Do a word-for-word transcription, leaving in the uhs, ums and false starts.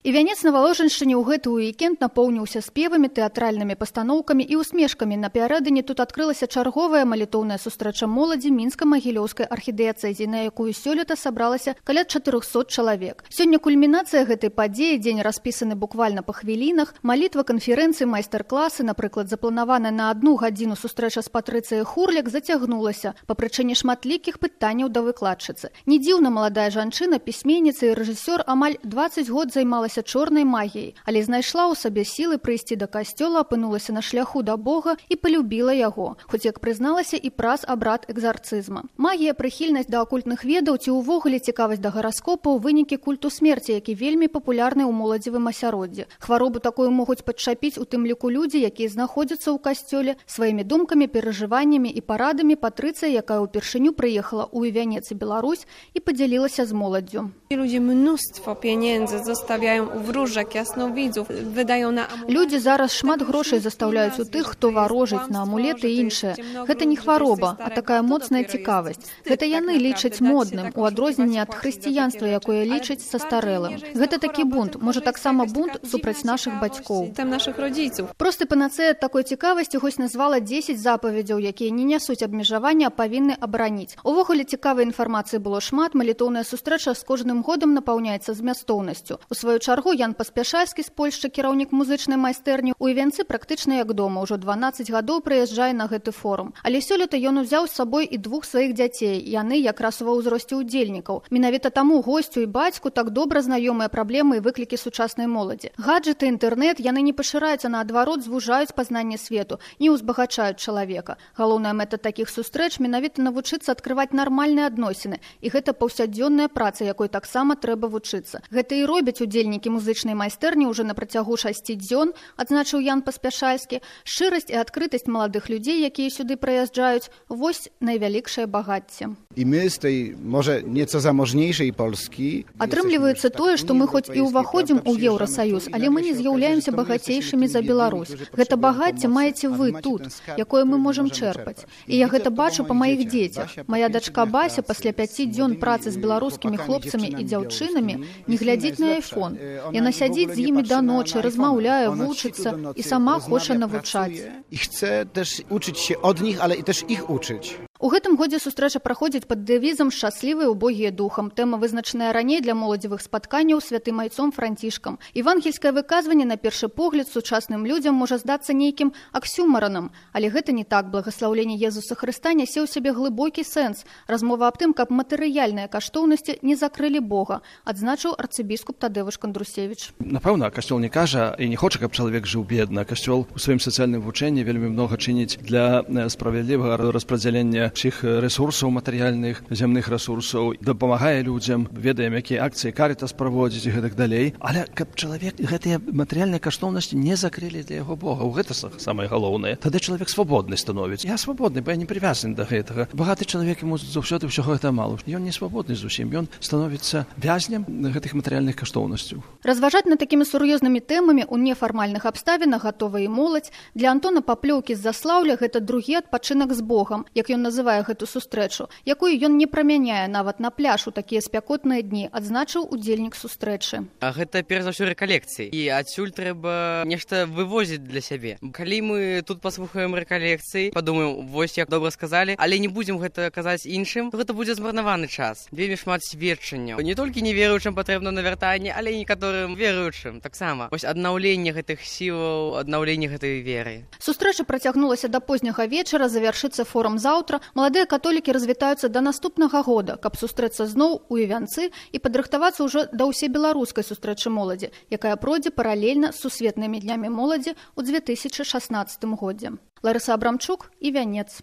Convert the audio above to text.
І вянец на Валожыншчыне ў гэты уікенд напоўніўся спевамі, тэатральнымі пастаноўкамі і усмешкамі. Напярэдадні тут адкрылася чарговая малітоўная сустрэча моладзі мінска-магілёўскай архідыяцэзіі, на якую сёлета сабралася каля чатырохсот чалавек. Сёння кульмінацыя гэтай падзеі, дзень распісаны буквально па хвілінах, малітва, канферэнцыі, майстар-класы, напрыклад, запланаваная на одну гадзіну сустрэча з Патрыцыяй Хурлік зацягнулася па прычыне шматлікіх пытанняў да выкладчыцы. Не дзіўна, маладая жанчына, пісьменніца і рэжысёр амаль дваццаць год займалася чорнай магіяй, але знайшла ў сабе сілы прыйсці да касцёла, апынулася на шляху да Бога і полюбіла яго, хоць, як прызналася, і праз абрад экзарцызма. Магія, прыхільнасць да акультных ведаў ці ўвогуле цікавасць да гараскопа ў вынікі культу смерці, які вельмі папулярны ў моладзевым асяроддзі. Хваробу такую могуць падчапіць у тым ліку людзі, якія знаходзяцца ў касцёле. Сваімі думкамі, перажываннямі і парадамі Патрыцыя, якая ўпершыню прыехала ў Івянец і Беларусь, і падзялілася з моладдзю. Ludzie mnóstwo pieniędzy zostawiają u wróżek, jasnowidzów, wydają na amulety. Людзі зараз шмат грошай застаўляюць у тых, хто варожыць на амулеты і іншае. Гэта не хвароба, а такая моцная цікавасць. Гэта яны лічаць модным, у адрозненні ад хрысціянства, якое лічыць састарэлым. Гэта такі бунт, можа таксама бунт супраць нашых бацькоў. Там нашых родзіцаў. Просты панацэя такой цікавасці хоць назвала дзесяць запаведзяў, якія не нясуць абмежавання, а павінны абараніць. Увогуле цікавай інфармацыі было шмат, малітоўная сустрэча з кожным годам напаўняецца змястоўнасцю. У сваю чаргу Ян Паспяшальскі з Польшчы, кіраўнік музычнай майстэрні, у Івянцы практычна як дома, ўжо дванаццаць гадоў прыязджае на гэты форум. Але сёлета ён узяў з сабой і двух сваіх дзяцей, яны якраз ва ўзросце ўдзельнікаў. Менавіта таму госцю і бацьку так добра знаёмыя праблемы і выклікі сучаснай моладзі. Гаджеты, інтэрнэт, яны не пашыраюцца, наадварот, звужаюць пазнанне свету, не ўзбагачаюць чалавека. Галоўная мэта такіх сустрэч менавіта навучыцца адкрываць нармальныя адносіны, і гэта паўсядзённая праца, якой таксама трэба вучыцца. Гэта і робяць удзельнікі музычнай майстэрні ўжо на працягу шасці дзён, адзначыў Ян Паспяшальскі. Шчырасць і адкрытасць маладых людзей, якія сюды прыязджаюць, вось największe багацце. I my z tej może nieco zamożniejszej Polski Атрымліваецца тое, што мы хоць і ўваходзім у Еўрасаюз, але мы не з'яўляемся багацейшымі за Беларусь. Гэта багацце маеце вы тут, якое мы можам чэрпаць. І я гэта бачу па маіх дзецях. Мая дачка Бася пасля пяці дзён працы з беларускімі хлопцамі і дзяўчынамі не глядзіць на айфон. Яна сядзіць з імі да ночы, размаўляе, вучыцца і сама хоча навучаць. I chce też uczyć się od nich, ale i też ich uczyć. У гэтым годзе сустрэча праходзіць пад дэвізам «Шчаслівыя убогія духам». Тэма вызначаная раней для моладзевых спатканняў святым айцом Францішкам. Евангельскае выказванне на першы погляд сучасным людзям можа здацца нейкім аксюмаранам, але гэта не так. Благаслаўленне Езуса Хрыста нясе ў сябе глыбокі сэнс. Размова аб тым, каб матэрыяльныя каштоўнасці не закрылі Бога, адзначыў арцыбіскуп Тадеуш Кандрусевіч. Напэўна, касцёл не кажа і не хоча, каб чалавек жыў бедна. Касцёл у сваім сацыяльным вучэнні вельмі многа чыніць для справядлівага распрадзялення всіх ресурсаў матэрыяльных, зямных ресурсаў, дапамагае людзям, ведаем, якія акцыі Карітас праводзіць і гэтак далей. Але каб чалавек гэтыя матэрыяльныя каштоўнасці не закрылі для яго Бога, гэта самае галоўнае. Тады чалавек свабодны становіцца. Я свабодны, бо я не прывязаны да гэтага. Багаты чалавек яму заўсёды ўсяго гэта мала. Ён не свабодны зусім, ён становіцца вязнем гэтых матэрыяльных каштоўнасцяў. Разважаць над такімі сур'ёзнымі тэмамі ў нефармальных абставінах гатова і моладзь. Для Антона Паплёўкі з Заслаўля гэта другі адпачынак з Богам, як ён называе гэту сустрэчу, якую ён не прамяняе нават на пляж у такія спякотныя дні, адзначыў удзельнік сустрэчы. А гэта перш за ўсё рэкалекцыі. І адсюль трэба нешта вывозіць для сябе. Калі мы тут паслухаем рэкалекцыі, падумаем, вось як добра сказалі, але не будзем гэта казаць іншым, то гэта будзе змарнаваны час. Вельмі шмат сведчанняў. Не толькі неверуючым патрэбна навяртанне, але і некаторым веруючым таксама. Вось аднаўленне гэтых сілаў, аднаўленне гэтай веры. Сустрэча працягнулася да позняга вечара, завяршыцца форум заўтра. Маладыя католікі развітаюцца да наступнага года, каб сустрэцца зноў у Івянцы і падрыхтавацца ўжо да ўсебеларускай сустрэчы моладзі, якая пройдзе паралельна з сусветнымі днямі моладзі ў две тысячы шаснаццатым годзе. Ларыса Абрамчук, Івянец.